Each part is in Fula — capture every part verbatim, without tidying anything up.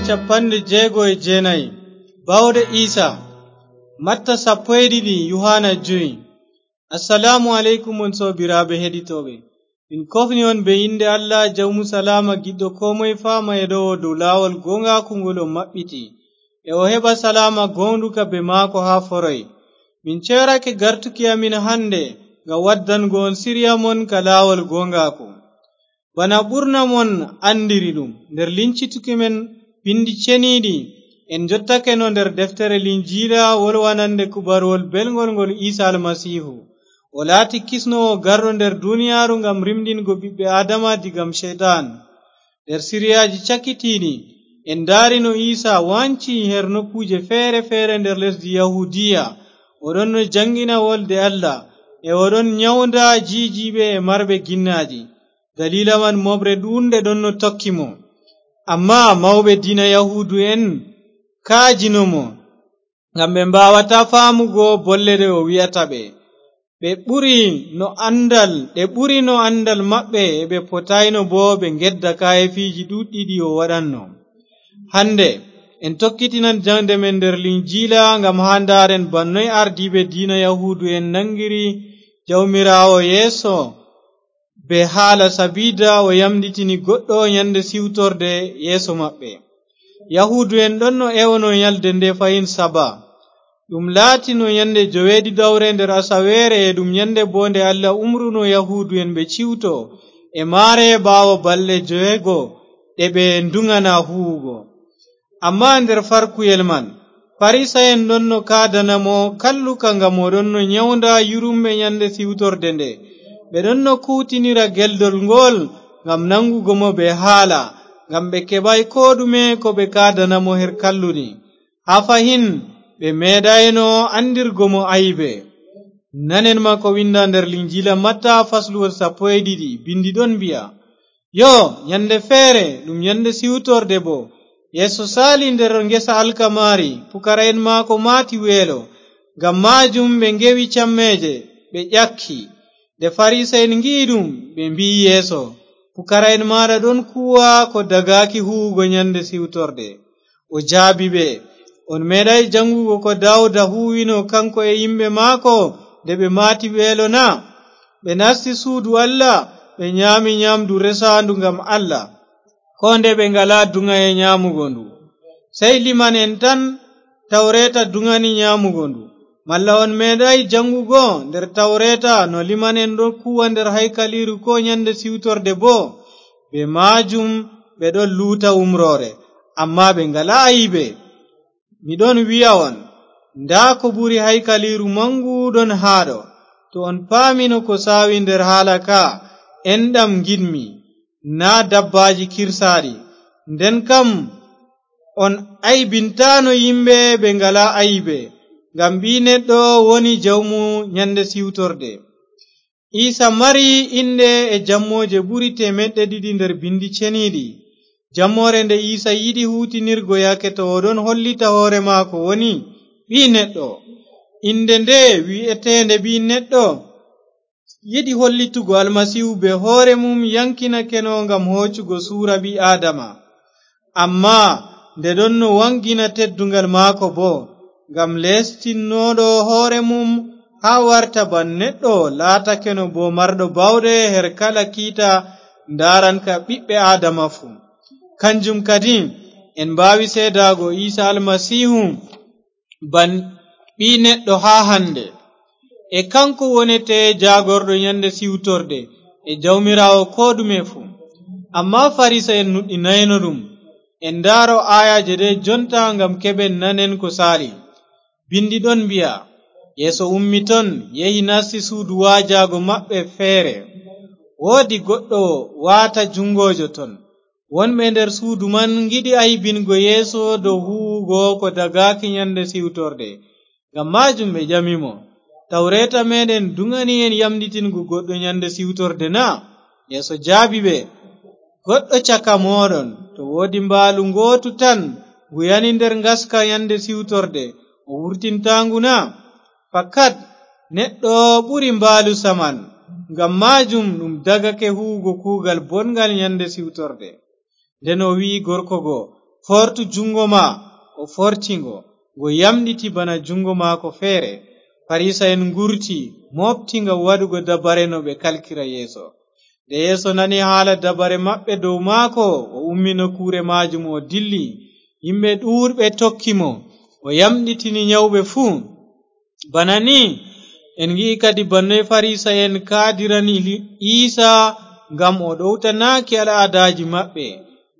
Cappanɗe jeego e jeenayi. Baawɗe Iisa. Matta sappo e ɗiɗi, Yuhaana jowi. Assalaamu aleykum, on soobiraaɓe heɗitooɓe. Min kofni on be innde Allah, Jawmu Salaama, giɗɗo koo moye faama e ɗo'o dow laawol gooŋgaaku ngol o maɓɓiti, e o heɓa salaama gooŋɗuka be maako haa foroy. Min ceerake gartuki amin hande ngam waddango on siriya mon ka laawol gooŋgaaku. Bana ɓurna mon anndiri ɗum, nder lincituki men Binndi Ceniiɗi, en njottakeno nder deftere Linjiila wolwanande kubaruwol belŋgol ngol Iisa Almasiihu. O laati kisnoowo garɗo nder duniyaaru ngam rimɗingo ɓiɓɓe Aadama digam Ceyɗan. Nder siriyaaji cakitiiɗi, en ndaari no Iisa waanci her nokkuuje feere-feere nder lesdi Yahuudiya. O ɗonno jaŋngina wolde Allah, e o ɗon nyawnda jiijiiɓe e marɓe ginnaaji. Daliila man, mooɓre ɗuuɗnde ɗonno tokki mo. Ammaa mawɓe diina Yahuudu'en kaajino mo, ngam ɓe mbaawataa faamugo bolle ɗe o wi'ata ɓe. Ɓe ɓuri no anndal, ɗe ɓuri no anndal maɓɓe, e ɓe potaayno boo ɓe ngedda kaayeefiiji ɗuuɗɗi ɗi o waɗanno. Hande, en tokkitinan jaŋde men nder Linjiila ngam haa ndaaren bana noy ardiiɓe diina Yahuudu'en naŋngiri Jawmiraawo Yeesu, be haala sabiida o yamɗitini goɗɗo nyande siwtorde yeeso maɓɓe. Yahuudu'en ɗonno ewono nyalde nde fahin Saba. Ɗum laatino nyande joweeɗiɗawre nder asaweere, e ɗum nyande boo nde Allah umruno Yahuudu'en ɓe ciwto e maare ɓaawo balɗe joweego ɗe ɓe nduŋana huuwugo. Ammaa nder farkuyel man, Farisa'en ɗonno kaadana mo kalluka ngam o ɗonno nyawnda yurumɓe nyande siwtorde nde. Ɓe ɗonno kuuwtinira geldol ngool ngam naŋgugo mo be haala, ngam ɓe keɓaay koo ɗume ko ɓe kaadana mo her kalluɗi. Haa fahin ɓe meeɗaayno anndirgo mo aybe. Nanen ma ko winnda nder Linjiila Matta, fasluwol sappo e ɗiɗi, binndi ɗon mbi'a, Yoo, nyande feere, ɗum nyande siwtorde boo, Yeesu saali nder ngesa alkamaari, pukara'en maako maati weelo. Ngam maajum ɓe ngewi cammeeje, ɓe ƴakki. Nde Farisa'en ngi'i ɗum, ɓe mbi'i Yeesu, "Pukara'en maaɗa ɗon kuuwa ko dagaaki huuwugo nyande siwtorde." O jaabi ɓe, "On meeɗaay jaŋgugo ko Daawuda huuwino, kaŋko e yimɓe maako, nde ɓe maati weelo na? Ɓe nasti suudu Allah, ɓe nyaami nyaamdu resaandu ngam Allah, koo nde ɓe ngalaa duŋaye nyaamugo ndu. Sey liman'en tan Tawreeta duŋani nyaamugo ndu. Malla on meeɗaay jaŋgugo nder Tawreeta no liman'en ɗon kuuwa nder haykaliiru koo nyande siwtorde boo? Bee maajum ɓe ɗon luuta umroore, ammaa ɓe ngalaa aybe. Mi ɗon wi'a on, ndaa ko ɓuri haykaliiru maŋgu ɗon haa ɗo. To on paamino ko saawi nder haala ka, enɗam ngiɗmi, naa dabbaaji kirsaaɗi. Nden kam on aybintaano yimɓe ɓe ngalaa aybe, ngam Ɓii Neɗɗo woni Jawmu nyande siwtorde." Iisa mari inɗe e jammooje ɓuri teemeɗɗe ɗiɗi nder Binndi Ceniiɗi. Jammoore nde Iisa yiɗi huutinirgo yaake to o ɗon hollita hoore maako woni Ɓii Neɗɗo. Innde nde wi'eteende Ɓii Neɗɗo yiɗi hollitugo Almasiihu bee hoore mum yaŋkinakeno ngam hoocugo suura ɓii-Aadama. Ammaa nde ɗonno waŋgina tedduŋgal maako boo, ngam leestinnooɗo hoore mum haa warta ban neɗɗo, laatakeno boo marɗo baawɗe her kala kiita ndaaranka ɓiɓɓe Aadama fuu. Kanjum kadin, en mbaawi seedaago Iisa Almasiihu ban Ɓii Neɗɗo haa hande. E kaŋko wonete jaagorɗo nyande siwtorde e Jawmiraawo koo ɗume fuu. Ammaa Farisa'en nuɗɗinayno ɗum. En ndaaro aayaaje ɗe jonta ngam keɓen nanen ko saali. Binndi ɗon mbi'a, Yeesu ummi ton, yehi nasti suudu waajaago maɓɓe feere. Woodi goɗɗo waata juŋngoojo ton. Wonɓe nder suudu man ngiɗi aybingo Yeesu dow huuwugo ko dagaaki nyande siwtorde. Ngam maajum ɓe ƴami mo, "Tawreeta meeɗen duŋani en yamɗitingo goɗɗo nyande siwtorde na?" Yeesu jaabi ɓe, "Goɗɗo caka mooɗon, to woodi mbaalu ngootu tan, ngu yani nder ngaska nyande siwtorde, o wurtintaa ngu na? Fakat, neɗɗo ɓuri mbaalu saman, ngam maajum ɗum dagake huuwugo kuugal bonŋgal nyande siwtorde." Nden o wi'i gorko go, "Fortu junngo ma." O forti ngo, ngo yamɗiti bana junngo maako feere. Farisa'en ngurti, mooɓti ngam waɗugo dabare no ɓe kalkira Yeesu. Nde Yeesu nani haala dabare maɓɓe dow maako, o ummi nokkuure maajum, o dilli. Yimɓe ɗuuɗɓe tokki mo, o yamɗitini nyawɓe fuu. Bana ni, en ngi'i kadi bannoy Farisa'en kaadirani li-, Iisa ngam o ɗowtanaaki al'aadaaji maɓɓe.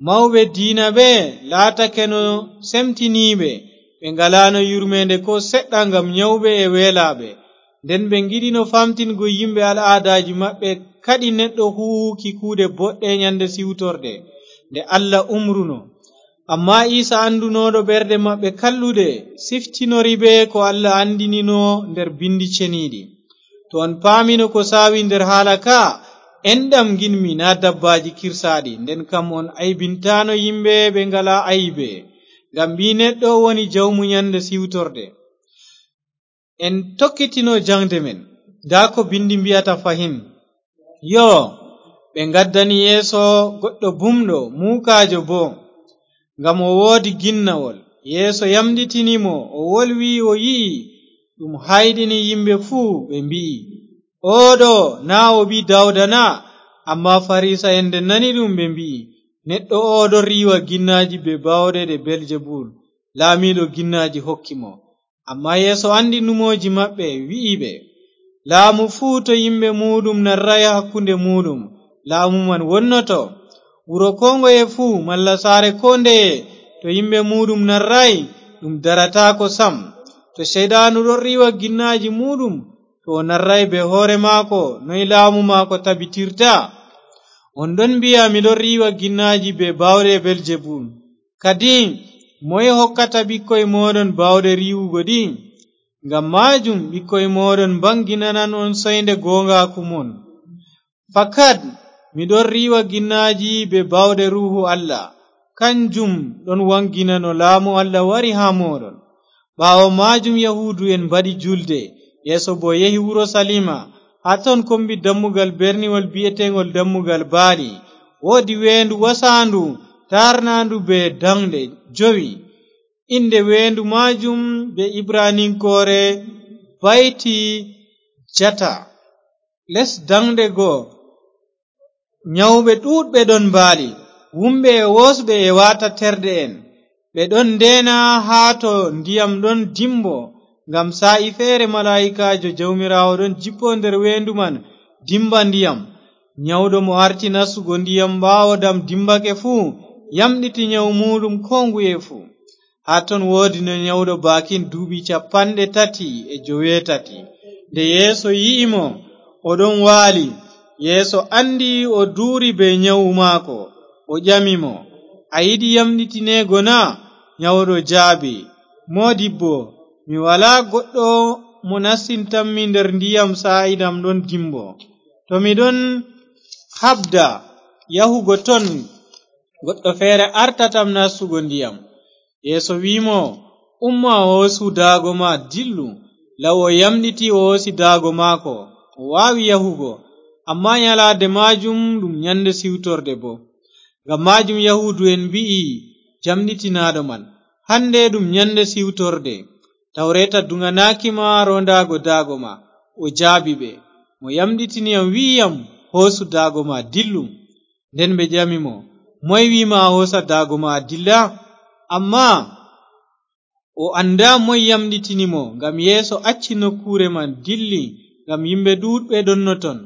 Mawɓe diina ɓe laatakeno semtiniiɓe, ɓe ngalaano yurmeende koo seɗɗa ngam nyawɓe e weelaaɓe. Nden ɓe ngiɗino famtingo yimɓe al'aadaaji maɓɓe, kaɗi neɗɗo huuwuki kuuɗe boɗɗe nyande siwtorde, nde Allah umruno. Ammaa Iisa, andunooɗo ɓerɗe maɓɓe kalluɗe, siftinori ɓe ko Allah andinino nder Bindi Ceniiɗi. To on paamino ko saawi nder haala ka, "Enɗam nginmi, naa dabbaaji kirsaaɗi," nden kam on aybintaano yimɓe ɓe ngalaa aybe, ngam Ɓii Neɗɗo woni jawmu nyande siwtorde. En tokkitino jaŋde men. Ndaa ko Bindi mbi'ata fahin. Yoo, ɓe ngaddani Yeesu goɗɗo bumɗo, muukaajo boo, ngam o woodi ginnawol. Yeesu yamɗitini mo, o wolwi, o yi'i ɗum, hayɗini yimɓe fuu, ɓe mbi'i, "Oo ɗo, naa o ɓii Dawda na?" Ammaa Farisa'en, nde nani ɗum, ɓe mbi'i, "Neɗɗo oo ɗon riiwa ginnaaji bee baawɗe ɗe Beelzebul, laamiiɗo ginnaaji, hokki mo." Ammaa Yeesu andi numooji maɓɓe, wi'i ɓe, "Laamu fuu to yimɓe muuɗum narraay hakkunde muuɗum, laamu man wonnoto. Wuro koo ngoye fuu, malla saare koo ndeye, to yimɓe muuɗum narraay, ɗum darataako sam. To Ceyɗaanu ɗon riiwa ginnaaji muuɗum, to o narraay bee hoore maako, noy laamu maako tabitirta? On ɗon mbi'a mi ɗon riiwa ginnaaji bee baawɗe Beelzebul. Kadi, moye hokkata ɓikkoy mooɗon baawɗe riiwugo ɗi? Ngam maajum, ɓikkoy mooɗon mbaŋginanan on soynde gooŋgaaku mon. Fakat, mi ɗon riiwa ginnaaji bee baawɗe Ruuhu Allah, kanjum ɗon waŋginano laamu Allah wari haa mooɗon." Ɓaawo maajum, Yahuudu'en mbaɗi julde, Yeesu boo yehi Urusaliima. Haa ton kombi dammugal berniwol bi'eteeŋgol Dammugal Baali, woodi weendu wasaandu, taarnaandu bee daŋɗe jowi. Innde weendu maajum bee Ibraniŋkoore Bayti Jata. Les daŋɗe go, nyawɓe ɗuuɗɓe ɗon mbaali, wumɓe e woosɓe e waata terɗe'en. Ɓe ɗon ndeena haa to ndiyam ɗon dimbo, ngam saa'i feere malaa'ikaajo Jawmiraawo ɗon jippo nder weendu man, dimba ndiyam. Nyawɗo mo arti nastugo ndiyam ɓaawo dam dimbake fuu, yamɗiti nyawu muuɗum koo nguye fuu. Haa ton woodino nyawɗo baakin duuɓi cappanɗe tati e joweetati. Nde Yeesu yi'i mo, o ɗon waali. Yeesu andi o duuri bee nyawu maako, o ƴami mo, "A yiɗi yamɗitineego na?" Nyawɗo jaabi, "Moodibbo, mi walaa goɗɗo mo nastintammi nder ndiyam saa'i dam ɗon dimbo. To mi ɗon haɓda yahugo ton, goɗɗo feere artatam nastugo ndiyam." Yeesu wi'i mo, "Umma, hoosu daago ma, dillu." Law o yamɗiti, o hoosi daago maako, o waawi yahugo. Ammaa nyalaade maajum ɗum nyande siwtorde boo. Ngam maajum Yahuudu'en mbi'i jamɗitinaaɗo man, "Hande ɗum nyande siwtorde. Tawreeta duŋanaaki ma roondaago daago ma." O jaabi ɓe, "Mo yamɗitini yam wi'i yam, 'Hoosu daago ma, dillu.'" Nden ɓe ƴami mo, "Moy wi'i ma a hoosa daago ma a dilla?" Ammaa o anndaa moy yamɗitini mo, ngam Yeesu acci nokkuure man, dilli, ngam yimɓe ɗuuɗɓe ɗonno ton.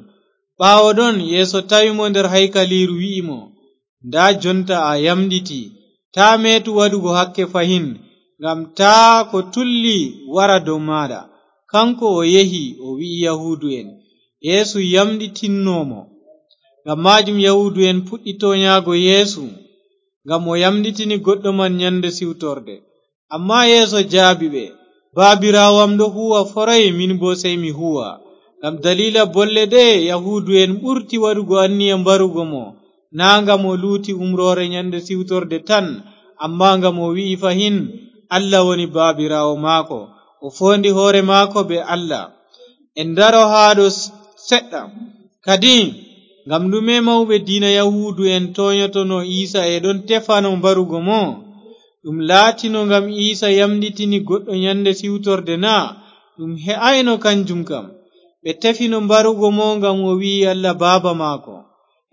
Ɓaawo ɗon, Yeesu tawi mo nder haykaliiru, wi'i mo, "Ndaa, jonta a yamɗiti. Taa meetu waɗugo hakke fahin, ngam taa ko tulli wara dow maaɗa." Kaŋko o yehi, o wi'i Yahuudu'en, "Yeesu yamɗitinno mo." Ngam maajum Yahuudu'en puɗɗi toonyaago Yeesu, ngam o yamɗitini goɗɗo man nyande siwtorde. Ammaa Yeesu jaabi ɓe, "Baabiraawo am ɗo huuwa foroy, min boo sey mi huuwa." Ngam daliila bolle ɗe'e, Yahuudu'en ɓurti waɗugo anniya mbarugo mo, naa ngam o luuti umroore nyande siwtorde tan, ammaa ngam o wi'i fahin Allah woni Baabiraawo maako, o foondi hoore maako bee Allah. En ndaro haa ɗo s-, seɗɗa. Kadi, ngam ɗume mawɓe diina Yahuudu'en toonyotono Iisa e ɗon tefano mbarugo mo? Ɗum laatino ngam Iisa yamɗitini goɗɗo nyannde siwtorde naa? Ɗum he'ayno kanjum kam. Ɓe tefino mbarugo mo ngam o wi'i Allah Baaba maako.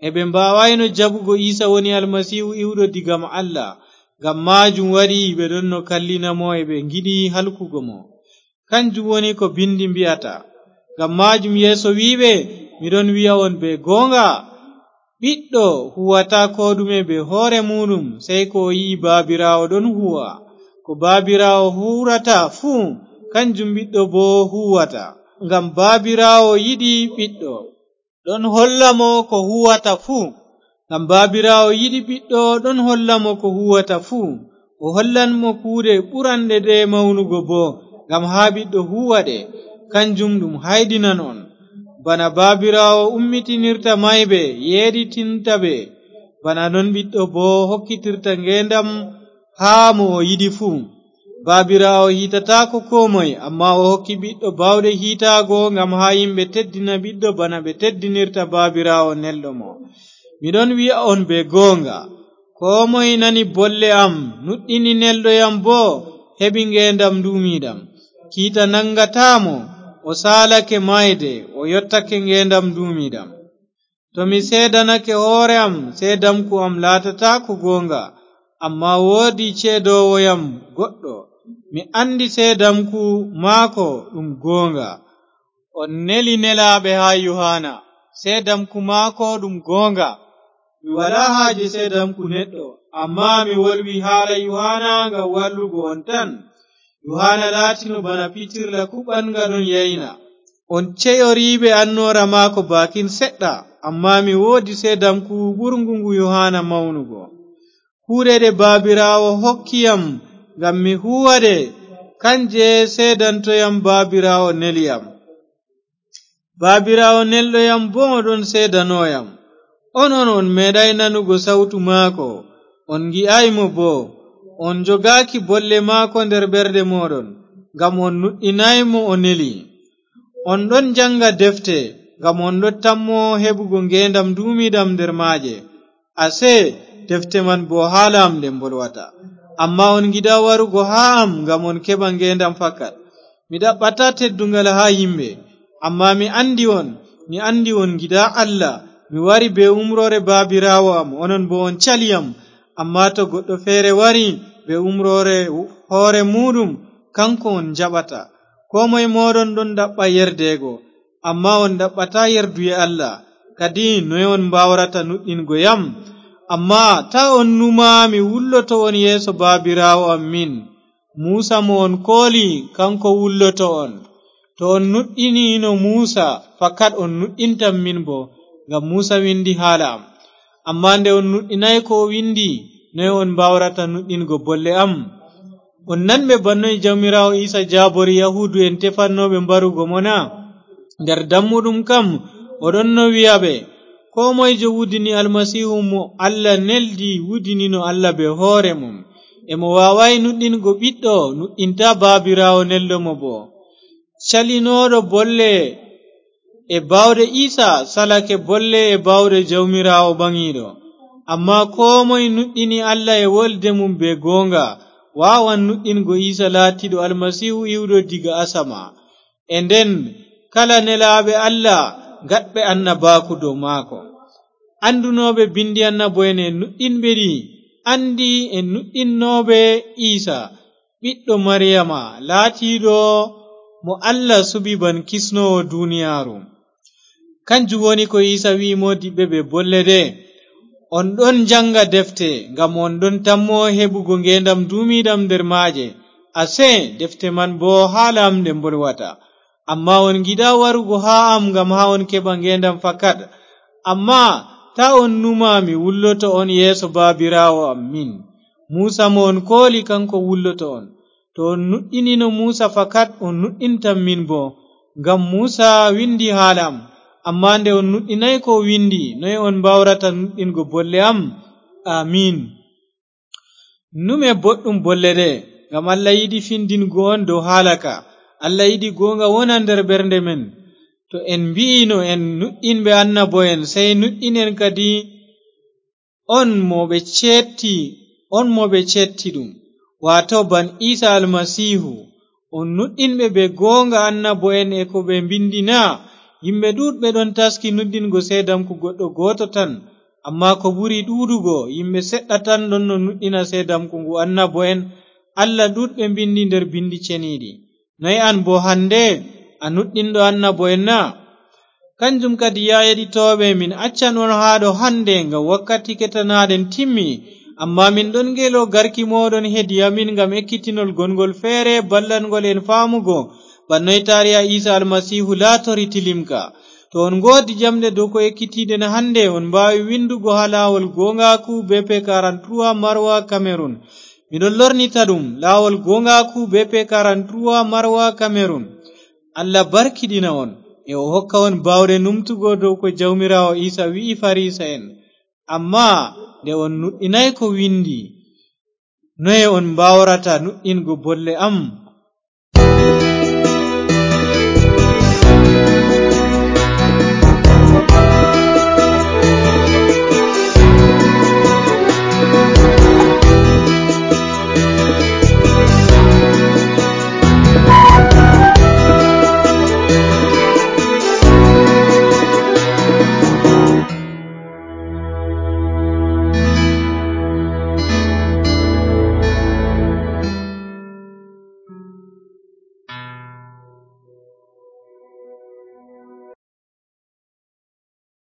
E ɓe mbaawayno jaɓugo Iisa woni Almasiihu iwɗo diga Allah. Ngam maajum waɗi ɓe ɗonno kallina mo e ɓe ngiɗi halkugo mo. Kanjum woni ko Binndi mbi'ata. Ngam maajum Yeesu wi'i ɓe, "Mi ɗon wi'a on bee gooŋga, Ɓiɗɗo huwata koo ɗume bee hoore muuɗum, sey ko o yi'i Baabiraawo ɗon huwa. Ko Baabiraawo huwrata fuu, kanjum Ɓiɗɗo boo huwata. Ngam Baabiraawo yiɗi Ɓiɗɗo, ɗon holla mo ko huwata fuu. Ngam Baabiraawo yiɗi Ɓiɗɗo, ɗon holla mo ko huwata fuu. O hollan mo kuuɗe ɓuranɗe ɗe mawnugo boo, ngam haa Ɓiɗɗo huwa ɗe. Kanjum ɗum hayɗinan on. Bana Baabiraawo ummitinirta mayɓe, yeeɗitinta ɓe, bana non Ɓiɗɗo boo hokkitirta ngeendam haa mo o yiɗi fuu. Baabiraawo hiitataako koo moy, ammaa o hokki Ɓiɗɗo baawɗe hiitaago, ngam haa yimɓe teddina Ɓiɗɗo bana ɓe teddinirta Baabiraawo nelɗo mo. Mi ɗon wi'a on bee gooŋga, koo moy nani bolle am, nuɗɗini nelɗo yam boo, heɓi ngeendam nduumiiɗam. Kiita naŋgataa mo, o saalake maayde, o yottake ngeendam nduumiiɗam. To mi seedanake hoore am, seedamku am laatataako gooŋga, ammaa woodi ceedoowo yam goɗɗo. Mi anndi seedamku maako ɗum gooŋga. On neli nelaaɓe haa Yuhaana, seedamku maako ɗum gooŋga. Mi walaa haaje seedamku neɗɗo, ammaa mi wolwi haala Yuhaana ngam wallugo on tan. Yuhaana laatino bana pitirla kuɓɓaŋga ɗon yayna. On ceyoriiɓe annoora maako baakin seɗɗa, ammaa mi woodi seedamku ɓurŋgu ngu Yuhaana mawnugo. Kuuɗe ɗe Baabiraawo hokki yam ngam mi huuwa ɗe, kanje seedanto yam Baabiraawo neli yam. Baabiraawo nelɗo yam boo ɗon seedano yam. Onon on meeɗaay nanugo sawtu maako, on ngi'aay mo boo. On njogaaki bolle maako nder ɓerɗe mooɗon, ngam on nuɗɗinaay mo o neli. On ɗon jaŋga defte, ngam on ɗon tammo heɓugo ngeendam nduumiiɗam nder maaje. Asee, defte man boo haala am ɗe mbolwata. Ammaa on ngiɗaa warugo haa am ngam on keɓa ngeendam fakat. Mi ɗaɓɓataa tedduŋgal haa yimɓe, ammaa mi anndi on, mi anndi on ngiɗaa Allah. Mi wari bee umroore Baabiraawo am, onon boo on cali yam. Ammaa to goɗɗo feere wari bee umroore hoore muuɗum, kaŋko on njaɓata. Koo moy mooɗon ɗon ɗaɓɓa yerdeego, ammaa on ɗaɓɓataa yerduye Allah. Kadi noye on mbaawrata nuɗɗingo yam? Ammaa taa on numa mi wulloto on yeeso Baabiraawo am min. Muusa mo on kooli, kaŋko wulloto on. To on nuɗɗiniino Muusa, fakat on nuɗɗintam min boo, ngam Muusa windi haala am. Ammaa nde on nuɗɗinaay ko o windi, noye on mbaawrata nuɗɗingo bolle am? On nanɓe bannoy Jawmiraawo Iisa jaabori Yahuudu'en tefannooɓe mbarugo mo na? Nder dammuɗum kam, o ɗonno wi'a ɓe, koo moyjo wudini Almasiihu mo Allah neldi, wudinino Allah bee hoore mum. E mo waawaay nuɗɗingo Ɓiɗɗo, nuɗɗintaa Baabiraawo nelɗo mo boo. Calinooɗo bolle e baawɗe Iisa salake bolle e baawɗe Jawmiraawo Ɓaŋiiɗo. Ammaa koo moy nuɗɗini Allah e wolde mum bee gooŋga, waawan nuɗɗingo Iisa laatiiɗo Almasiihu iwɗo diga asama. E nden, kala nelaaɓe Allah gaɗɓe annabaaku dow maako. Anndunooɓe binndi annabo'en e nuɗɗinɓe ɗi, anndi e nuɗɗinnooɓe Iisa, ɓiɗɗo Mariyama, laatiiɗo mo Allah suɓi ban kisnoowo duniyaaru. Kanjum woni ko Iisa wi'i moodiɓɓe ɓe bolle ɗe, on ɗon njaŋga defte, ngam on ɗon tammo heɓugo ngeendam nduumiiɗam nder maaje. Asee, defte man boo haala am ɗe mbolwata. Ammaa on ngiɗaa warugo haa am ngam haa on keɓa ngeendam fakat. Ammaa taa on numa mi wulloto on yeeso Baabiraawo am min. Muusa mo on kooli, kaŋko wulloto on. To on nuɗɗinino Muusa fakat, on nuɗɗintam min boo. Ngam Muusa windi haala am. Ammaa nde on nuɗɗinaay ko o windi, noye on mbaawrata nuɗɗingo bolle am? Amiin. Nume boɗɗum bolle ɗe, ngam Allah yiɗi findingo on dow haala ka. Allah yiɗi gooŋga wona nder ɓernde men. To en mbi'ino en nuɗɗinɓe annabo'en, sey nuɗɗinen kadi on mo ɓe ceetti, on mo ɓe ceetti ɗum. Waato ban Iisa Almasiihu, on nuɗɗinɓe be goonga annabo'en e ko ɓe mbinndi na? Yimɓe ɗuuɗɓe ɗon taski nuɗɗingo seedamku goɗɗo gooto tan, ammaa ko ɓuri ɗuuɗugo, yimɓe seɗɗa tan ɗon no nuɗɗina seedamku ngu annabo'en Allah ɗuuɗɓe mbinndi nder Binndi Ceniiɗi. Noy an boo hannde, a nuɗɗinɗo annabo'en na? Kanjum kadi, yaa yeɗitooɓe, min accan on haa ɗo hannde, ngam wakkati ketanaaɗen timmi. Ammaa min ɗon ngeelo garki mooɗon hedi amin ngam ekkitinol gonngol feere, ballangol en faamugo, ban noy taariya Iisa Almasiihu laatori tilimka. To on ngoodi jamɗe dow ko ekkitiiɗen hannde, on mbaawi winndugo haa laawol gooŋgaaku B P quarante-trois Marwa Cameroun. Miɗon lornita ɗum, laawol gooŋgaaku B P quarante-trois Marwa Cameroun. Allah barkiɗina on, e o hokka on baawɗe numtugo dow ko Jawmiraawo Iisa wi'i Farisa'en. Ammaa nde on nuɗɗinaay ko winndi, noye on mbaawrata nuɗɗingo bolle am?